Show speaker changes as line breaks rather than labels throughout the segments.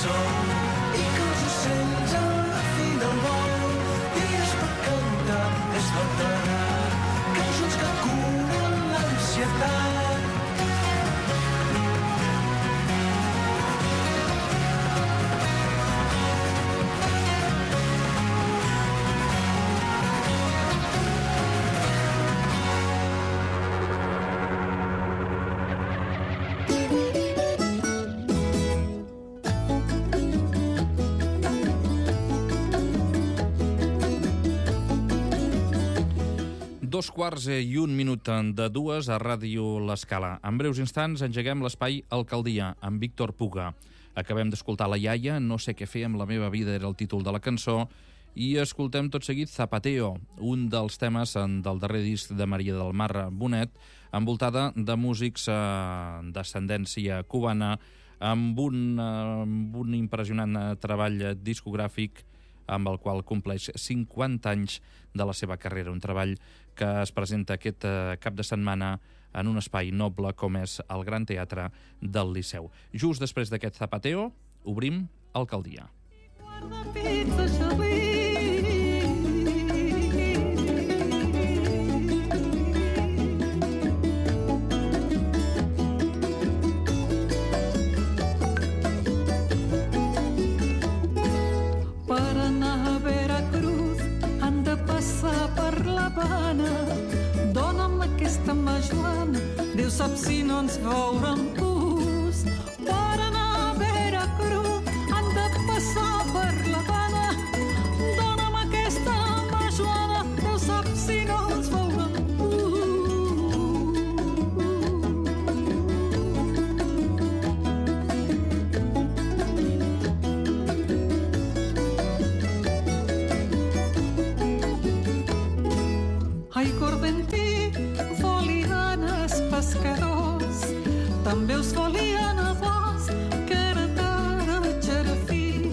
sol i que els ocells a la fi del vol. Dies per cantar és veterà, cançons que curen l'ansietat.
Dos quarts i un minut de dues a Ràdio L'Escala. En breus instants engeguem l'espai Alcaldia amb Víctor Puga. Acabem d'escoltar La iaia, No sé què fer amb la meva vida era el títol de la cançó, i escoltem tot seguit Zapateo, un dels temes del darrer disc de Maria del Mar Bonet, envoltada de músics d'ascendència cubana, amb un impressionant treball discogràfic amb el qual compleix 50 anys de la seva carrera. Un treball que es presenta aquest cap de setmana en un espai noble com és el Gran Teatre del Liceu. Just després d'aquest Zapateo, obrim Alcaldia.
Per l'Havana, dona'm aquesta mà, Joana, Déu sap si no ens veurem pus. Per anar a Veracruz han de passar per l'Havana, dona'm aquesta mà, Joana, Déu sap si no ens veurem pescadors, també us volien a vos, que era tara xerafí.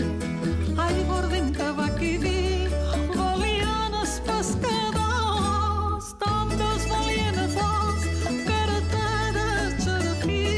Ai, gordent tabac i vi, volien els pescadors, també us volien a vos, que era tara xerafí.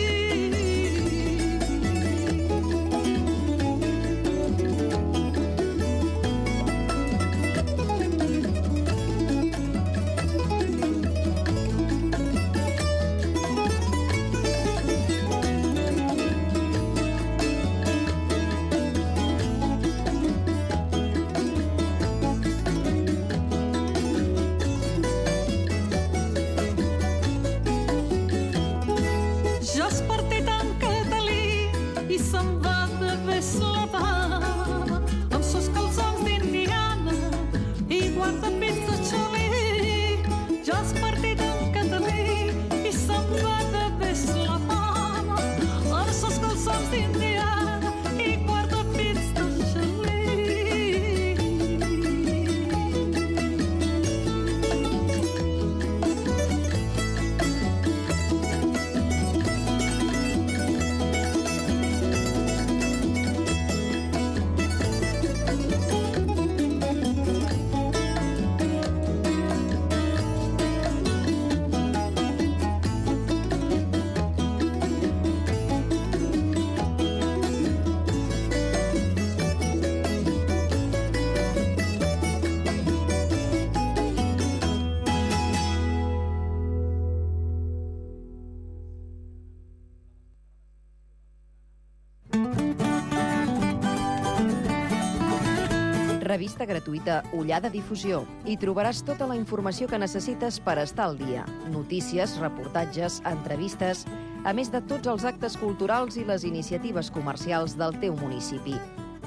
Revista gratuïta Ullada Difusió. Hi trobaràs tota la informació que necessites per estar al dia. Notícies, reportatges, entrevistes, a més de tots els actes culturals i les iniciatives comercials del teu municipi.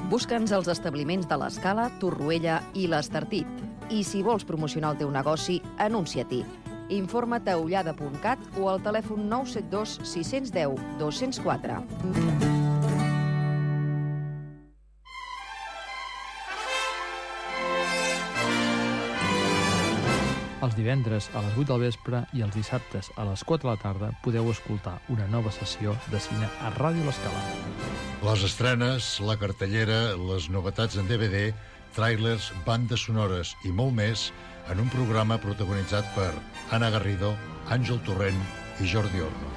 Busca'ns als establiments de l'Escala, Torroella i l'Estartit. I si vols promocionar el teu negoci, anuncia-t'hi. Informa't a ullada.cat o al telèfon 972 610 204.
Els divendres a les 8 del vespre i els dissabtes a les 4 de la tarda podeu escoltar una nova sessió de cine a Ràdio L'Escala.
Les estrenes, la cartellera, les novetats en DVD, tràilers, bandes sonores i molt més en un programa protagonitzat per Anna Garrido, Àngel Torrent i Jordi Orno.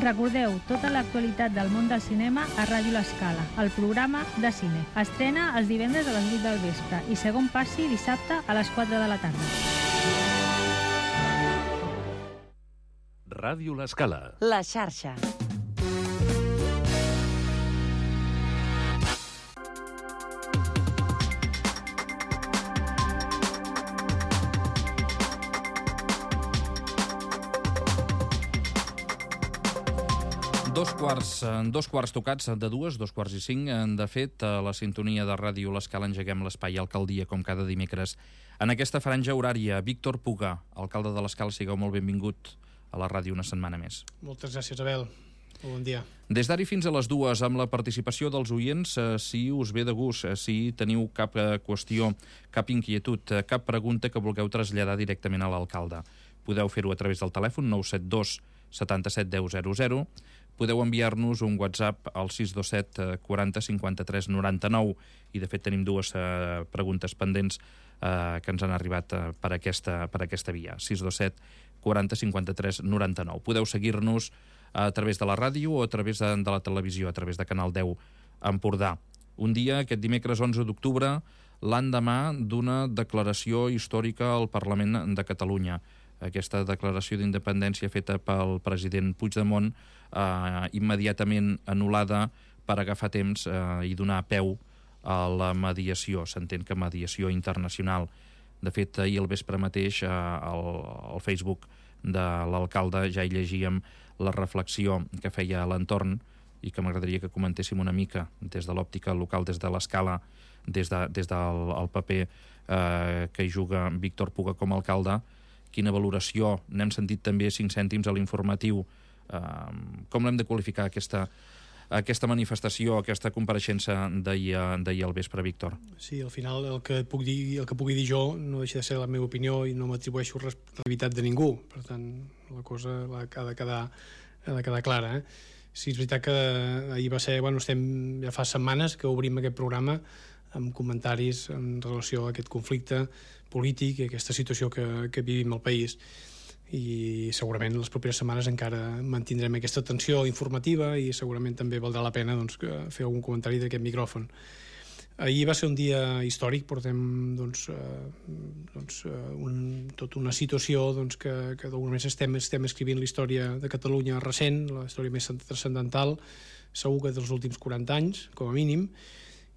Recordeu tota l'actualitat del món del cinema a Ràdio L'Escala, el programa de cine. Estrena els divendres a les 8 del vespre i segon passi dissabte a les 4 de la tarda.
Ràdio L'Escala.
La xarxa.
Dos quarts tocats de 2:45. De fet, a la sintonia de Ràdio L'Escala engeguem l'espai Alcaldia, com cada dimecres. En aquesta franja horària, Víctor Puga, alcalde de l'Escala, sigueu molt benvingut a la ràdio una setmana més.
Moltes gràcies, Abel. Bon dia.
Des d'ara fins a les 2, amb la participació dels oients, si us ve de gust, si teniu cap qüestió, cap inquietud, cap pregunta que vulgueu traslladar directament a l'alcalde. Podeu fer-ho a través del telèfon 972 77 10 00. Podeu enviar-nos un WhatsApp al 627 40 53 99 i, de fet, tenim dues preguntes pendents que ens han arribat per aquesta via. 627 40 53 99. Podeu seguir-nos a través de la ràdio o a través de la televisió, a través de Canal 10 Empordà. Un dia, aquest dimecres 11 d'octubre, l'endemà d'una declaració històrica al Parlament de Catalunya. Aquesta declaració d'independència feta pel president Puigdemont, immediatament anul·lada per agafar temps i donar peu a la mediació. S'entén que mediació internacional. De fet, ahir al vespre mateix, al Facebook de l'alcalde, ja hi llegíem la reflexió que feia a l'entorn i que m'agradaria que comentéssim una mica des de l'òptica local, des de l'Escala, des del paper que hi juga Víctor Puga com a alcalde. Quina valoració? N'hem sentit també 5 cèntims a l'informatiu. Com l'hem de qualificar, aquesta manifestació, aquesta compareixença d'ahir al vespre, Víctor?
Sí, al final el que pugui dir jo no deixa de ser la meva opinió i no m'atribueixo responsabilitat de ningú. Per tant, la cosa ha de quedar clara. Sí, és veritat que ahir va ser... estem ja fa setmanes que obrim aquest programa amb comentaris en relació a aquest conflicte polític i aquesta situació que vivim al país. I segurament les properes setmanes encara mantindrem aquesta tensió informativa i segurament també valdrà la pena fer algun comentari d'aquest micròfon. Ahir va ser un dia històric, portem tota una situació que d'alguna manera estem escrivint la història de Catalunya recent, la història més transcendental, segur que dels últims 40 anys, com a mínim,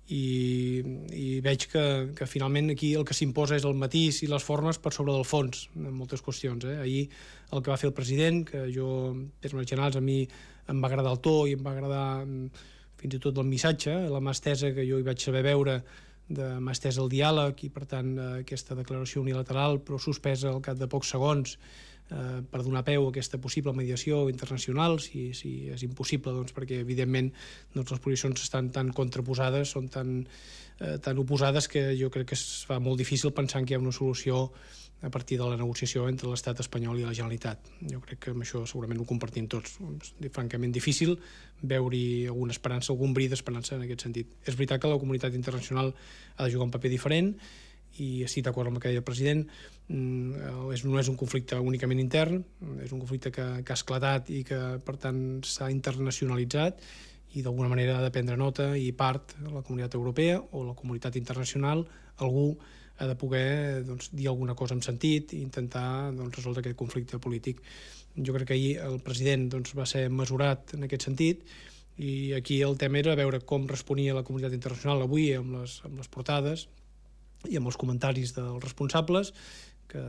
i veig que finalment aquí el que s'imposa és el matís i les formes per sobre del fons en moltes qüestions. Ahir el que va fer el president, que jo, en termes generals, a mi em va agradar el to i em va agradar fins i tot el missatge, la mà estesa que jo hi vaig saber veure, de mà estesa al diàleg i, per tant, aquesta declaració unilateral però suspesa al cap de pocs segons per donar peu a aquesta possible mediació internacional, si és impossible, perquè evidentment les posicions estan tan contraposades, són tan oposades, que jo crec que es fa molt difícil pensar que hi ha una solució a partir de la negociació entre l'estat espanyol i la Generalitat. Jo crec que amb això segurament ho compartim tots. És francament difícil veure-hi alguna esperança, algun bri d'esperança en aquest sentit. És veritat que la comunitat internacional ha de jugar un paper diferent i estic d'acord amb el que deia el president. No és un conflicte únicament intern, és un conflicte que ha esclatat i que, per tant, s'ha internacionalitzat i d'alguna manera ha de prendre nota i part de la comunitat europea o la comunitat internacional, algú ha de poder dir alguna cosa en sentit i intentar resoldre aquest conflicte polític. Jo crec que ahir el president va ser mesurat en aquest sentit i aquí el tema era veure com responia la comunitat internacional avui amb les portades i amb els comentaris dels responsables, que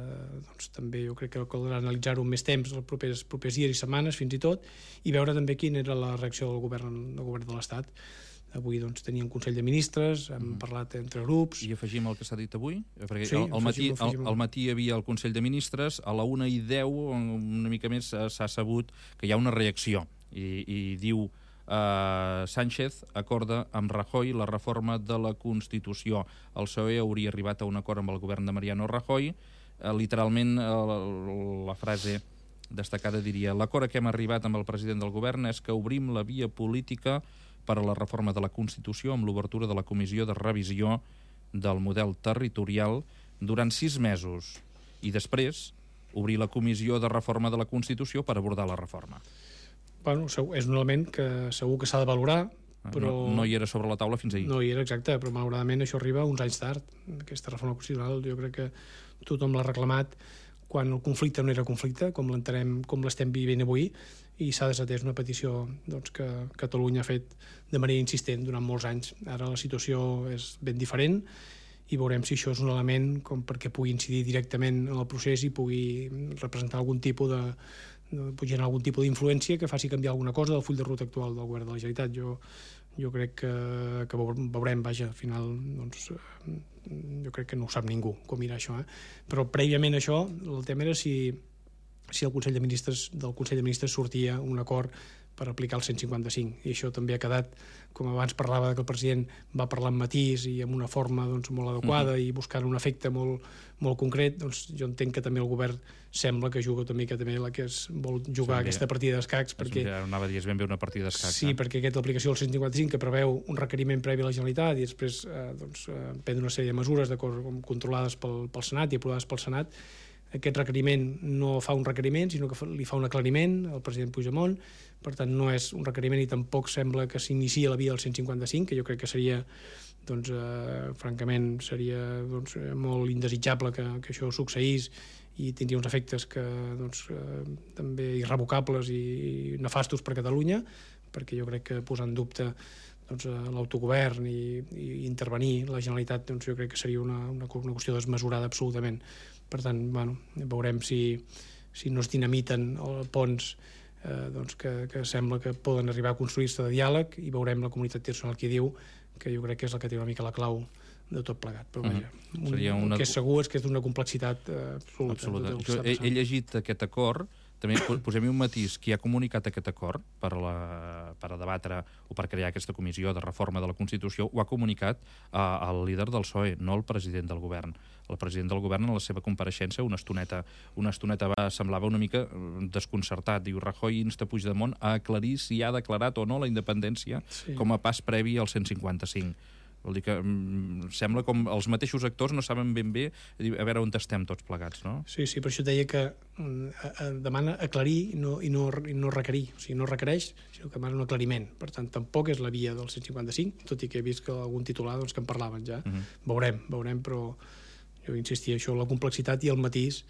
també jo crec que caldrà analitzar-ho amb més temps els propers dies i setmanes fins i tot, i veure també quina era la reacció del govern de l'Estat. Avui teníem Consell de Ministres, hem parlat entre grups...
I afegim el que s'ha dit avui? Perquè
sí,
al matí hi havia el Consell de Ministres, a la 1:10, una mica més, s'ha sabut que hi ha una reacció, i diu... Sánchez acorda amb Rajoy la reforma de la Constitució. El PSOE hauria arribat a un acord amb el govern de Mariano Rajoy. Literalment, la frase destacada diria: l'acord a què hem arribat amb el president del govern és que obrim la via política per a la reforma de la Constitució amb l'obertura de la comissió de revisió del model territorial durant 6 mesos i després obrir la comissió de reforma de la Constitució per abordar la reforma.
Bueno, és un element que segur que s'ha de valorar, però...
No hi era sobre la taula fins ahir.
No hi era, exacte, però malauradament això arriba uns anys tard. Aquesta reforma constitucional jo crec que tothom l'ha reclamat quan el conflicte no era conflicte, com l'entenem, com l'estem vivint avui, i s'ha desatès una petició que Catalunya ha fet de manera insistent durant molts anys. Ara la situació és ben diferent i veurem si això és un element com perquè pugui incidir directament en el procés i pugui representar algun tipus generar algun tipus d'influència que faci canviar alguna cosa del full de ruta actual del govern de la Generalitat. Jo crec que veurem, vaja, al final, jo crec que no ho sap ningú com irà això, Però prèviament a això, el tema era si el Consell de Ministres sortia un acord per aplicar el 155, i això també ha quedat, com abans parlava que el president va parlar amb matís i amb una forma molt adequada i buscant un efecte molt concret, jo entenc que també el govern sembla que juga també la que vol jugar aquesta partida d'escacs, perquè...
Anava a dir, és ben bé una partida d'escacs.
Sí, perquè l'aplicació del 155 que preveu un requeriment previ a la Generalitat i després prendre una sèrie de mesures controlades pel Senat i aprovades pel Senat. Aquest requeriment no fa un requeriment, sinó que li fa un aclariment al president Puigdemont. Per tant, no és un requeriment i tampoc sembla que s'inicia la via del 155, que jo crec que seria, francament, seria molt indesitjable que això succeís i tindria uns efectes també irrevocables i nefastos per Catalunya, perquè jo crec que posar en dubte l'autogovern i intervenir la Generalitat, jo crec que seria una qüestió desmesurada absolutament. Per tant, veurem si no es dinamiten ponts que sembla que poden arribar a construir-se de diàleg, i veurem la comunitat internacional que diu, que jo crec que és la que té una mica la clau de tot plegat. Però vaja, el que és segur és que és d'una complexitat absoluta.
He llegit aquest acord. També posem-hi un matís. Qui ha comunicat aquest acord per a debatre o per crear aquesta comissió de reforma de la Constitució ho ha comunicat el líder del PSOE, no el president del govern. El president del govern, en la seva compareixença, una estoneta semblava una mica desconcertat. Diu, Rajoy insta Puigdemont a aclarir si ha declarat o no la independència com a pas previ al 155. Vol dir que sembla com els mateixos actors no saben ben bé a veure on estem tots plegats, no?
Sí, per això deia que demana aclarir i no requerir. O sigui, no requereix, sinó que demana un aclariment. Per tant, tampoc és la via del 155, tot i que he vist que algun titular que en parlaven ja. Veurem, però jo insistia, això, la complexitat i el matís,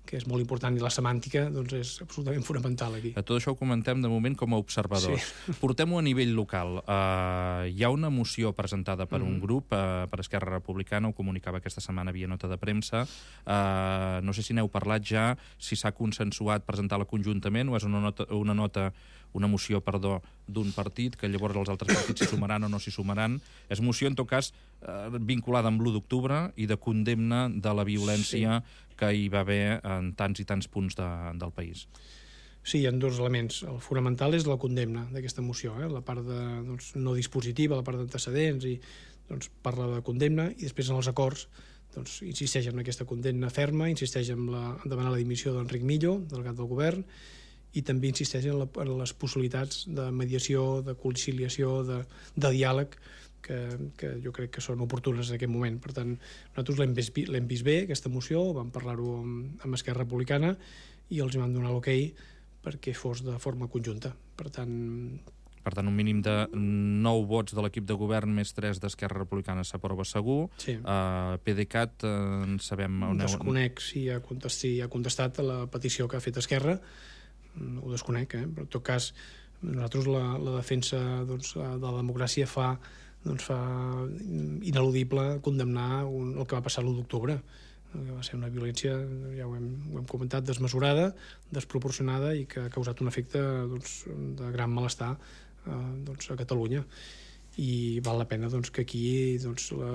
que és molt important, i la semàntica és absolutament fonamental aquí.
A tot això ho comentem de moment com a observadors. Sí. Portem-ho a nivell local. Hi ha una moció presentada per un grup, per Esquerra Republicana, ho comunicava aquesta setmana via nota de premsa. No sé si n'heu parlat ja, si s'ha consensuat presentar-la conjuntament o és una moció d'un partit, que llavors els altres partits s'hi sumaran o no s'hi sumaran. És moció, en tot cas, vinculada amb l'1 d'octubre i de condemna de la violència que hi va haver en tants i tants punts del país.
Sí, hi ha dos elements. El fonamental és la condemna d'aquesta moció, la part no dispositiva, la part d'antecedents, i parla de condemna, i després en els acords insisteix en aquesta condemna ferma, insisteix en demanar la dimissió d'Enric Millo, delegat del govern, i també insisteix en les possibilitats de mediació, de conciliació, de diàleg, que jo crec que són oportunes en aquest moment. Per tant, nosaltres l'hem vist bé, aquesta moció, vam parlar-ho amb Esquerra Republicana i els vam donar l'okei perquè fos de forma conjunta. Per tant,
un mínim de 9 vots de l'equip de govern més 3 d'Esquerra Republicana s'aprova segur.
Sí.
PDeCAT, en sabem...
Desconec si ha contestat a la petició que ha fet Esquerra. Ho desconec, però en tot cas nosaltres la defensa de la democràcia fa ineludible condemnar el que va passar l'1 d'octubre, que va ser una violència, ja ho hem comentat, desmesurada, desproporcionada i que ha causat un efecte de gran malestar a Catalunya. I val la pena que aquí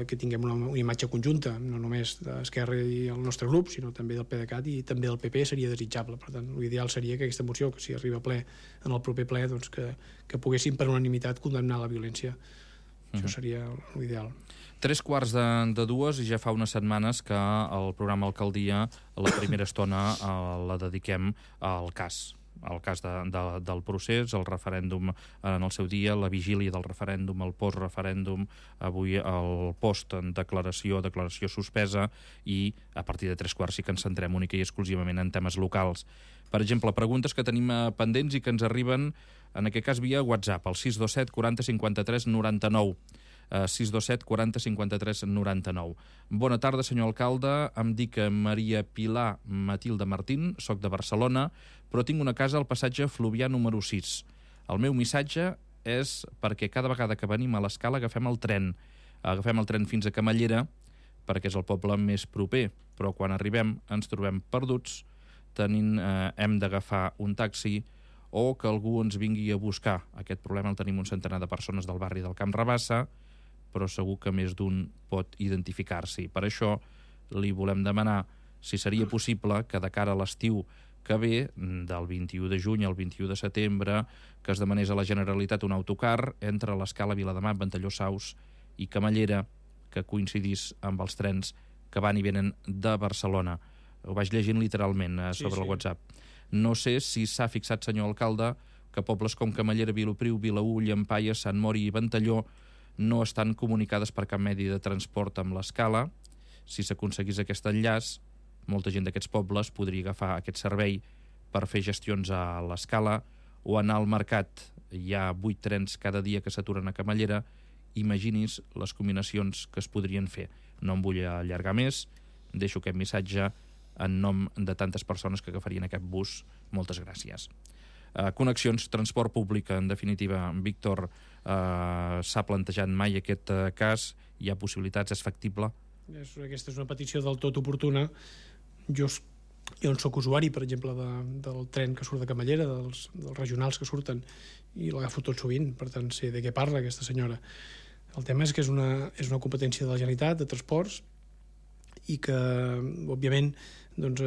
que tinguem una imatge conjunta, no només d'Esquerra i el nostre grup, sinó també del PDeCAT i també del PP, seria desitjable. Per tant, l'ideal seria que aquesta moció, que si arriba a ple en el proper ple, que poguessin per unanimitat condemnar la violència. Això seria l'ideal.
3:45 i ja fa unes setmanes que el programa Alcaldia, la primera estona, la dediquem al cas el cas del procés, el referèndum en el seu dia, la vigília del referèndum, el post-referèndum, avui el post-declaració, declaració suspesa, i a partir de 3:15 sí que ens centrem única i exclusivament en temes locals. Per exemple, preguntes que tenim pendents i que ens arriben, en aquest cas via WhatsApp, al 627 40 53 99. 627 40 53 99. Bona tarda, senyor alcalde. Em dic Maria Pilar Matilde Martín, soc de Barcelona, però tinc una casa al passatge Fluvià número 6. El meu missatge és perquè cada vegada que venim a l'Escala agafem el tren. Agafem el tren fins a Camallera, perquè és el poble més proper, però quan arribem ens trobem perduts, hem d'agafar un taxi o que algú ens vingui a buscar. Aquest problema el tenim un centenar de persones del barri del Camp Rabassa, però segur que més d'un pot identificar-s'hi. Per això li volem demanar si seria possible que de cara a l'estiu que ve, del 21 de juny al 21 de setembre, que es demanés a la Generalitat un autocar entre l'Escala, Vilademat, Ventalló, Saus i Camallera, que coincidís amb els trens que van i venen de Barcelona. Ho vaig llegint literalment sobre el WhatsApp. No sé si s'ha fixat, senyor alcalde, que pobles com Camallera, Vilopriu, Vilaür, Llampaies, Sant Mori i Ventalló no estan comunicades per cap medi de transport amb l'Escala. Si s'aconseguís aquest enllaç, molta gent d'aquests pobles podria agafar aquest servei per fer gestions a l'Escala o anar al mercat. Hi ha 8 trens cada dia que s'aturen a Camallera. Imagini's les combinacions que es podrien fer. No em vull allargar més, deixo aquest missatge en nom de tantes persones que agafarien aquest bus. Moltes gràcies. Connexions, transport públic, en definitiva, Víctor, s'ha plantejat mai aquest cas? Hi ha possibilitats? És factible?
Aquesta és una petició del tot oportuna. Jo en soc usuari, per exemple, del tren que surt de Camallera, dels regionals que surten, i l'agafo tot sovint, per tant sé de què parla aquesta senyora. El tema és que és una competència de la Generalitat, de transports, i que, òbviament, doncs,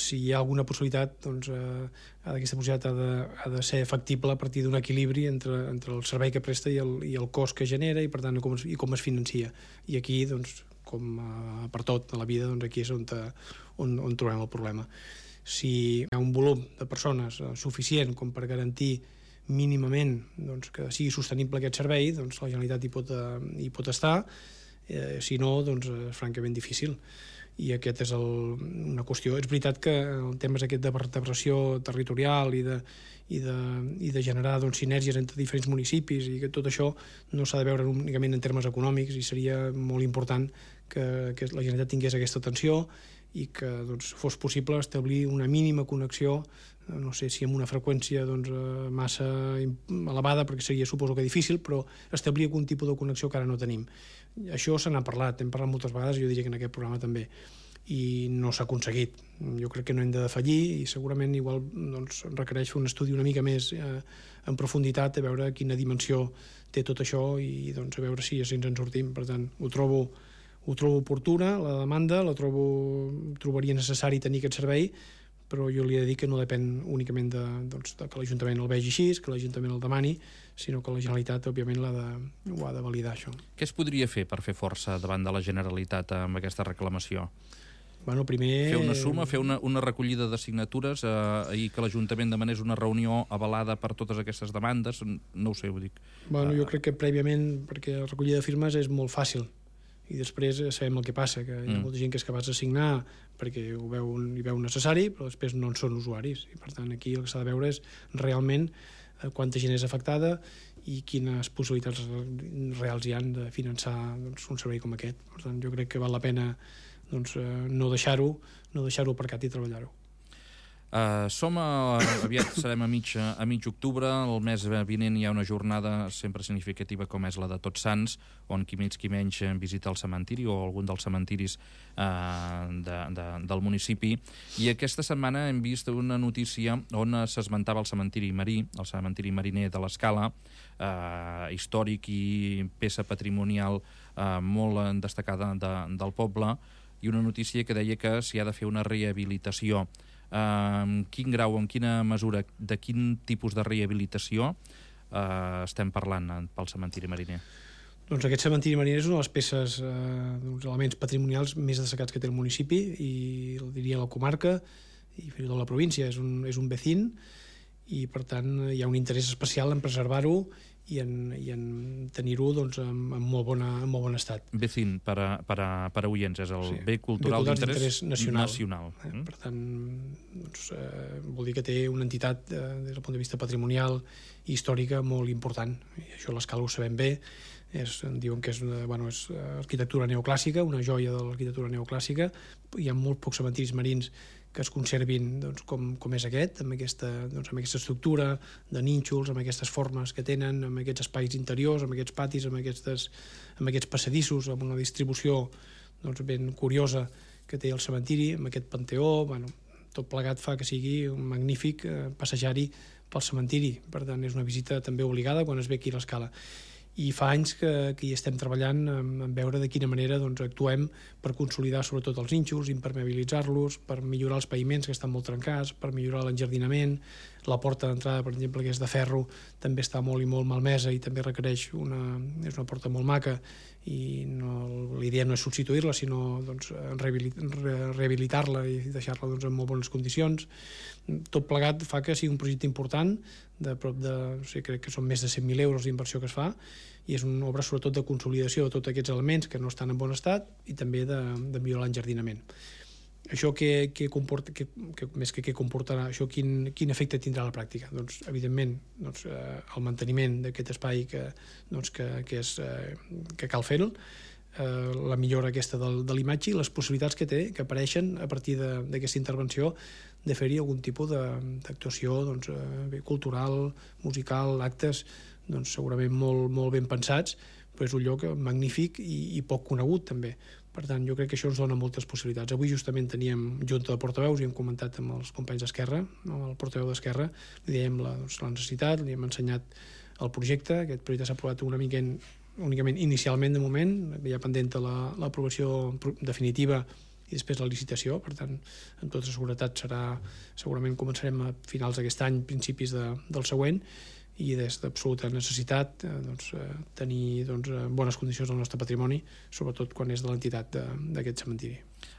si hi ha alguna possibilitat, doncs, aquesta possibilitat ha de ser factible a partir d'un equilibri entre el servei que presta i el cost que genera, i per tant com es financia. I aquí, doncs, com per tot a la vida, doncs aquí és on trobem el problema. Si hi ha un volum de persones suficient com per garantir mínimament, doncs, que sigui sostenible aquest servei, doncs la Generalitat hi pot estar. Si no, doncs és francament difícil. I aquest és una qüestió. És veritat que el tema és aquest de vertebració territorial i de generar, doncs, sinergies entre diferents municipis, i que tot això no s'ha de veure únicament en termes econòmics, i seria molt important que la Generalitat tingués aquesta atenció i que, doncs, fos possible establir una mínima connexió, no sé si amb una freqüència, doncs, massa elevada, perquè seria, suposo que difícil, però establir algun tipus de connexió que ara no tenim. Això se n'ha parlat, hem parlat moltes vegades, jo diria que en aquest programa també, i no s'ha aconseguit. Jo crec que no hem de defallir, i segurament igual, doncs, requereix fer un estudi una mica més en profunditat, a veure quina dimensió té tot això, i doncs a veure si ens en sortim. Per tant, ho trobo oportuna, la demanda, trobaria necessari tenir aquest servei, però jo li he de dir que no depèn únicament de que l'Ajuntament el vegi així, que l'Ajuntament el demani, sinó que la Generalitat, òbviament, ho ha de validar, això.
Què es podria fer per fer força davant de la Generalitat amb aquesta reclamació?
Bueno, primer...
Fer una suma, fer una recollida de signatures, i que l'Ajuntament demanés una reunió avalada per totes aquestes demandes? No ho sé, ho dic.
Bueno, jo crec que prèviament, perquè la recollida de firmes és molt fàcil, i després sabem el que passa, que hi ha molta gent que és capaç de signar perquè hi veu necessari, però després no en són usuaris, i per tant aquí el que s'ha de veure és realment quanta gent és afectada i quines possibilitats reals hi han de finançar, doncs, un servei com aquest. Per tant, jo crec que val la pena, doncs, no deixar-ho aparcat i treballar-ho.
Aviat serem a mig octubre. El mes vinent hi ha una jornada sempre significativa com és la de Tots Sants, on qui menys visita el cementiri o algun dels cementiris del municipi. I aquesta setmana hem vist una notícia on s'esmentava el cementiri marí, el cementiri mariner de l'Escala, històric i peça patrimonial molt destacada del poble, i una notícia que deia que s'hi ha de fer una rehabilitació. Quin grau, en quina mesura, de quin tipus de rehabilitació estem parlant pel cementiri mariner?
Doncs aquest cementiri mariner és una de les peces, uns elements patrimonials més destacats que té el municipi, i el diria la comarca i fins i tot la província. És un vecín, i per tant hi ha un interès especial en preservar-ho i en tenir-ho doncs, en molt bon estat.
BCIN, per a oients, és el bé cultural d'interès nacional.
Per tant, doncs, vol dir que té una entitat des del punt de vista patrimonial i històrica molt important, i això a l'Escala ho sabem bé. Diuen que és arquitectura neoclàssica, una joia de l'arquitectura neoclàssica. Hi ha molt pocs cementiris marins que es conservin doncs, com és aquest, amb aquesta estructura de nínxols, amb aquestes formes que tenen, amb aquests espais interiors, amb aquests patis, amb aquests passadissos, amb una distribució doncs, ben curiosa que té el cementiri, amb aquest panteó. Tot plegat fa que sigui un magnífic passejar-hi pel cementiri. Per tant, és una visita també obligada quan es ve aquí a l'Escala. I fa anys que hi estem treballant en veure de quina manera doncs, actuem per consolidar sobretot els nínxols, impermeabilitzar-los, per millorar els paviments que estan molt trencats, per millorar l'enjardinament. La porta d'entrada, per exemple, que és de ferro, també està molt i molt malmesa i també requereix és una porta molt maca i l'idea no és substituir-la, sinó doncs, rehabilitar-la i deixar-la doncs, en molt bones condicions. Tot plegat fa que sigui un projecte important, crec que són més de 100.000 euros d'inversió que es fa, i és una obra sobretot de consolidació de tots aquests elements que no estan en bon estat i també de millorar l'enjardinament. Això més que què comportarà, això quin efecte tindrà a la pràctica? Doncs, evidentment, el manteniment d'aquest espai que cal fer-lo, la millora aquesta de l'imatge i les possibilitats que té, que apareixen a partir d'aquesta intervenció, de fer-hi algun tipus d'actuació cultural, musical, actes segurament molt ben pensats, però és un lloc magnífic i poc conegut també. Per tant, jo crec que això ens dona moltes possibilitats. Avui justament teníem junta de portaveus i hem comentat amb els companys d'Esquerra, amb el portaveu d'Esquerra, li dèiem la necessitat, li hem ensenyat el projecte. Aquest projecte s'ha aprovat únicament inicialment de moment, hi ha pendent l'aprovació definitiva i després la licitació. Per tant, amb tota seguretat segurament començarem a finals d'aquest any, principis del següent, i des d'absoluta necessitat tenir bones condicions del nostre patrimoni, sobretot quan és de l'entitat d'aquest cementiri.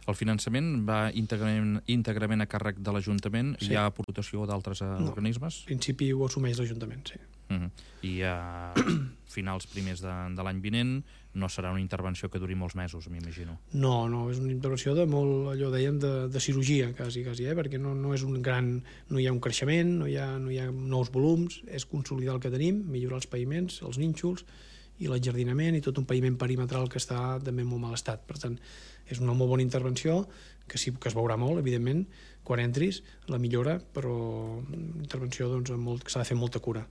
El finançament va íntegrament a càrrec de l'Ajuntament? Sí. Hi ha aportació d'altres organismes?
En principi ho assumeix l'Ajuntament, sí.
I a finals primers de l'any vinent no serà una intervenció que duri molts mesos, m'imagino.
No, és una intervenció de molt, allò dèiem, de cirurgia, quasi, perquè no és un gran... No hi ha un creixement, no hi ha nous volums, és consolidar el que tenim, millorar els paviments, els nínxols i l'enjardinament i tot un paviment perimetral que està també en molt mal estat. Per tant, és una molt bona intervenció, que sí que es veurà molt, evidentment, quan entris, la millora, però intervenció que s'ha de fer molta cura.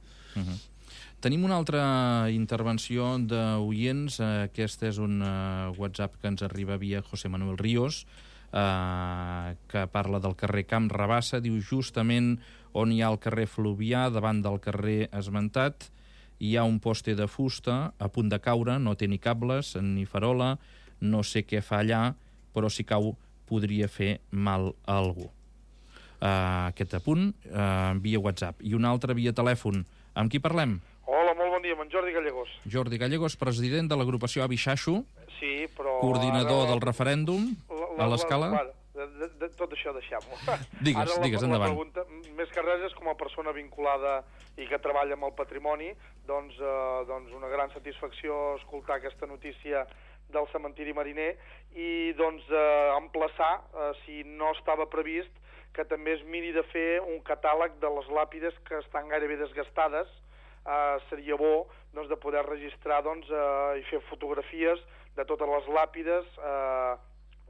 Tenim una altra intervenció d'oients. Aquest és un WhatsApp que ens arriba via José Manuel Ríos, que parla del carrer Camp Rabassa. Diu, justament on hi ha el carrer Fluvià, davant del carrer esmentat, hi ha un poste de fusta a punt de caure, no té ni cables ni farola, no sé què fa allà, però si cau podria fer mal a algú. Aquest apunt via WhatsApp. I un altre via telèfon. Amb qui parlem?
Hola, molt bon dia, amb en Jordi Gallegos.
Jordi Gallegos, president de l'agrupació Avi Xaxo,
sí, però
coordinador del referèndum a l'Escala.
Tot això deixem-ho.
Digues, endavant.
La pregunta, més que res, és com a persona vinculada i que treballa amb el patrimoni, doncs una gran satisfacció escoltar aquesta notícia del cementiri mariner i emplaçar, si no estava previst, que també es miri de fer un catàleg de les làpides que estan gairebé desgastades. Seria bo de poder registrar i fer fotografies de totes les làpides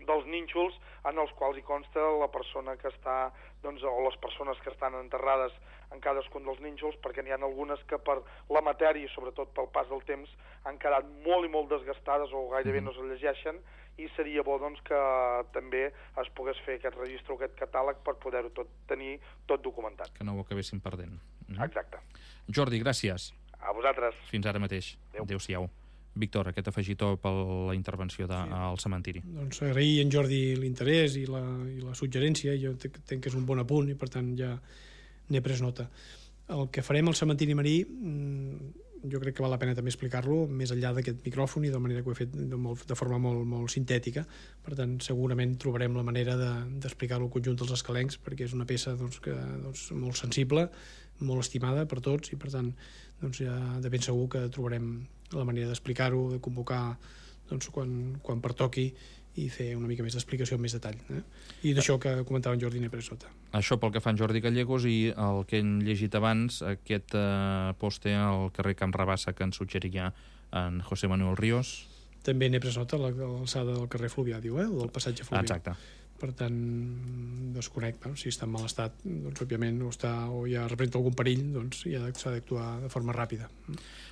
dels nínxols en els quals hi consta la persona que està, o les persones que estan enterrades en cadascun dels nínxols, perquè n'hi ha algunes que per la matèria i sobretot pel pas del temps han quedat molt i molt desgastades o gairebé no es llegeixen, i seria bo que també es pogués fer aquest registre o aquest catàleg per poder-ho tenir tot documentat.
Que no ho acabéssim perdent.
Exacte.
Jordi, gràcies.
A vosaltres.
Fins ara mateix. Adéu-siau. Víctor, aquest afegitó per la intervenció al cementiri.
Doncs agrair en Jordi l'interès i la suggerència. Jo entenc que és un bon apunt i per tant ja n'he pres nota. El que farem al cementiri marí jo crec que val la pena també explicar-lo més enllà d'aquest micròfon i de manera que ho he fet de forma molt sintètica. Per tant, segurament trobarem la manera d'explicar-lo al conjunt dels escalencs, perquè és una peça molt sensible, molt estimada per tots, i per tant ja de ben segur que trobarem la manera d'explicar-ho, de convocar quan pertoqui i fer una mica més d'explicació en més detall. I d'això que comentava en Jordi Nepressota.
Això pel que fa en Jordi Gallegos, i el que hem llegit abans, aquest poste al carrer Camp Rabassa que ens suggeria en José Manuel Ríos.
També Nepressota, a l'alçada del carrer Fluvià, diu, del passatge Fluvià.
Exacte.
Per tant, desconec, si està en mal estat, òbviament, o ja representa algun perill, s'ha d'actuar de forma ràpida.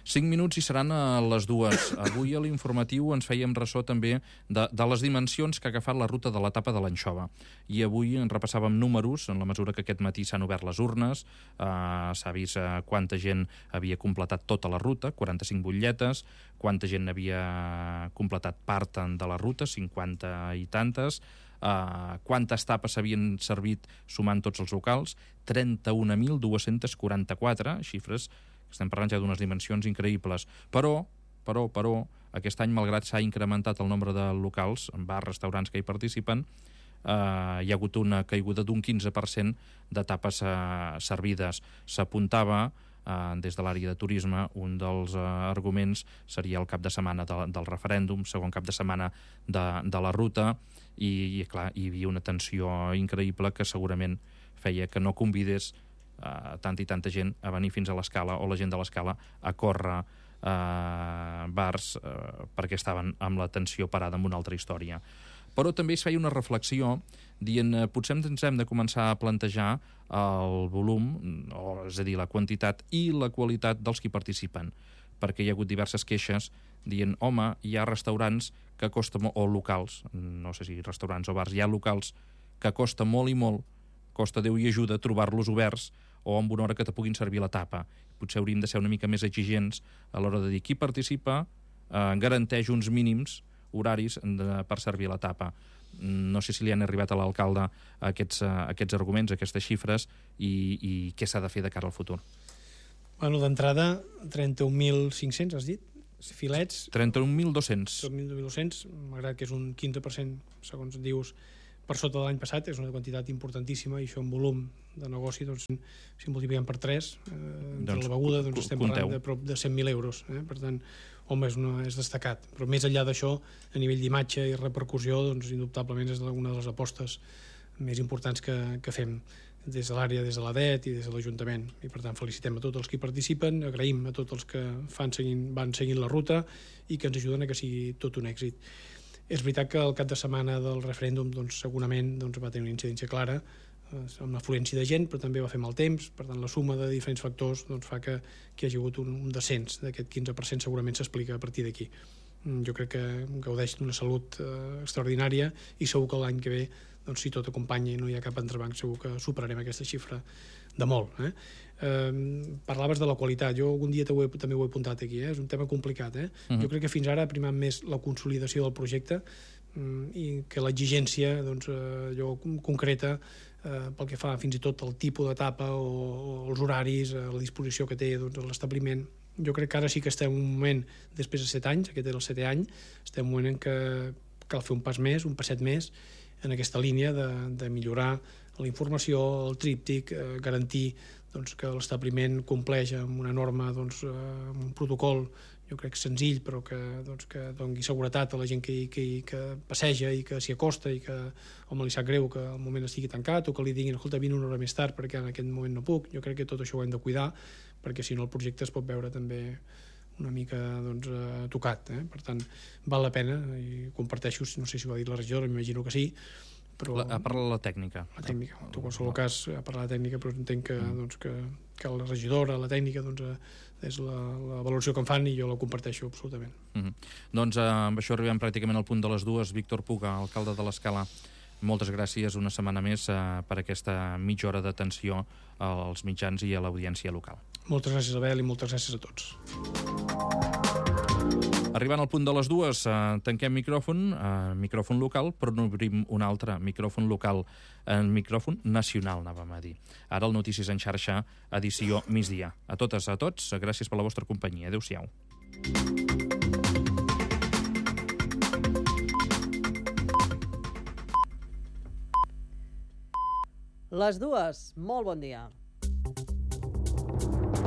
5 minuts i seran a les 2. Avui a l'informatiu ens fèiem ressò també de les dimensions que ha agafat la ruta de l'etapa de l'Anxova. I avui en repassàvem números, en la mesura que aquest matí s'han obert les urnes, s'ha vist quanta gent havia completat tota la ruta, 45 butlletes, quanta gent havia completat part de la ruta, 50 i tantes, quantes tapes s'havien servit sumant tots els locals, 31.244, xifres que estem parlant ja d'unes dimensions increïbles. Però, aquest any, malgrat s'ha incrementat el nombre de locals, bars, restaurants que hi participen, hi ha hagut una caiguda d'un 15% de tapes servides. S'apuntava des de l'àrea de turisme, un dels arguments seria el cap de setmana del referèndum, segon cap de setmana de la ruta, i clar, hi havia una tensió increïble que segurament feia que no convidés tanta i tanta gent a venir fins a l'Escala, o la gent de l'Escala a córrer bars perquè estaven amb la tensió parada amb una altra història. Però també es feia una reflexió dient potser ens hem de començar a plantejar el volum, és a dir, la quantitat i la qualitat dels qui participen, perquè hi ha hagut diverses queixes dient, home, hi ha restaurants que costa molt, o locals, no sé si restaurants o bars, hi ha locals que costa molt i molt, costa Déu i ajuda trobar-los oberts o amb una hora que te puguin servir la tapa. Potser hauríem de ser una mica més exigents a l'hora de dir qui participa garanteix uns mínims horaris per servir la tapa. No sé si li han arribat a l'alcalde aquests arguments, aquestes xifres, i què s'ha de fer de cara al futur.
Bueno, d'entrada, 31.500, has dit? Filets...
31.200.
31.200, malgrat que és un 15%, segons dius, per sota de l'any passat, és una quantitat importantíssima, i això en volum de negoci, si multipliquem per 3, entre la beguda, estem parlant de prop de 100.000 euros. Per tant, home, és destacat. Però més enllà d'això, a nivell d'imatge i repercussió, indubtablement és una de les apostes més importants que fem des de l'àrea, des de l'ADET i des de l'Ajuntament. I per tant felicitem a tots els que hi participen, agraïm a tots els que van seguint la ruta i que ens ajuden a que sigui tot un èxit. És veritat que el cap de setmana del referèndum segurament va tenir una incidència clara amb l'afluència de gent, però també va fer mal temps. Per tant, la suma de diferents factors fa que hi hagi hagut un descens d'aquest 15%, segurament s'explica a partir d'aquí. Jo crec que gaudeix d'una salut extraordinària i segur que l'any que ve, si tot acompanya i no hi ha cap entrebanc, segur que superarem aquesta xifra de molt. Parlaves de la qualitat, jo algun dia també ho he apuntat aquí, és un tema complicat. Jo crec que fins ara ha primat més la consolidació del projecte i que l'exigència concreta pel que fa fins i tot al tipus d'etapa o els horaris, la disposició que té l'establiment. Jo crec que ara sí que estem en un moment, després de 7 anys, aquest era el 7è any, estem en un moment en què cal fer un pas més, un passet més, en aquesta línia de millorar la informació, el tríptic, garantir que l'establiment compleix amb una norma, amb un protocol, jo crec senzill, però que doni seguretat a la gent que passeja i que s'hi acosta i que li sap greu que al moment estigui tancat o que li diguin, escolta, vine una hora més tard perquè en aquest moment no puc. Jo crec que tot això ho hem de cuidar, perquè si no el projecte es pot veure també una mica tocat. Per tant, val la pena, i comparteixo, no sé si ho ha dit la regidora, m'imagino que sí, però...
Ha parlat la tècnica.
La tècnica. En qualsevol cas, ha parlat la tècnica, però entenc que la regidora, la tècnica, és la valoració que em fan i jo la comparteixo absolutament.
Doncs amb això arribem pràcticament al punt de les 2. Víctor Puga, alcalde de l'Escala, moltes gràcies una setmana més per aquesta mitja hora d'atenció als mitjans i a l'audiència local.
Moltes gràcies, Abel, i moltes gràcies a tots.
Arribant al punt de les 2, tanquem micròfon local, però n'obrim un altre, micròfon local, micròfon nacional, anàvem a dir. Ara el Notícies en xarxa, edició migdia. A totes, a tots, gràcies per la vostra companyia. Adéu-siau.
Les 2, molt bon dia.